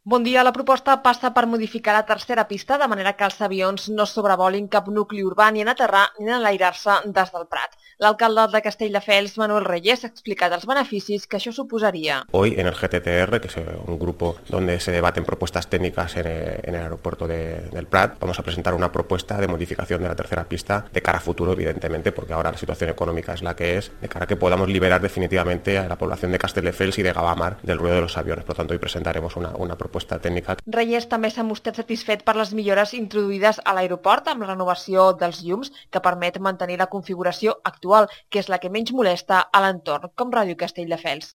Bon dia. La proposta passa per modificar la tercera pista de manera que els avions no sobrevolin cap nucli urbà ni en aterrar ni en enlairar-se des del Prat. L'alcalde de Castelldefels, Manuel Reyes, ha explicat els beneficis que això suposaria. Hoy en el GTTR, que es un grupo donde se debaten propuestas técnicas en el aeropuerto del Prat, vamos a presentar una propuesta de modificación de la tercera pista de cara a futuro, evidentemente, porque ahora la situación económica es la que es, de cara a que podamos liberar definitivamente a la población de Castelldefels y de Gavamar del ruido de los aviones. Por lo tanto, hoy presentaremos una propuesta tècnica. Reyes també s'ha mostrat satisfet per les millores introduïdes a l'aeroport amb la renovació dels llums que permet mantenir la configuració actual, que és la que menys molesta a l'entorn, com Ràdio Castelldefels.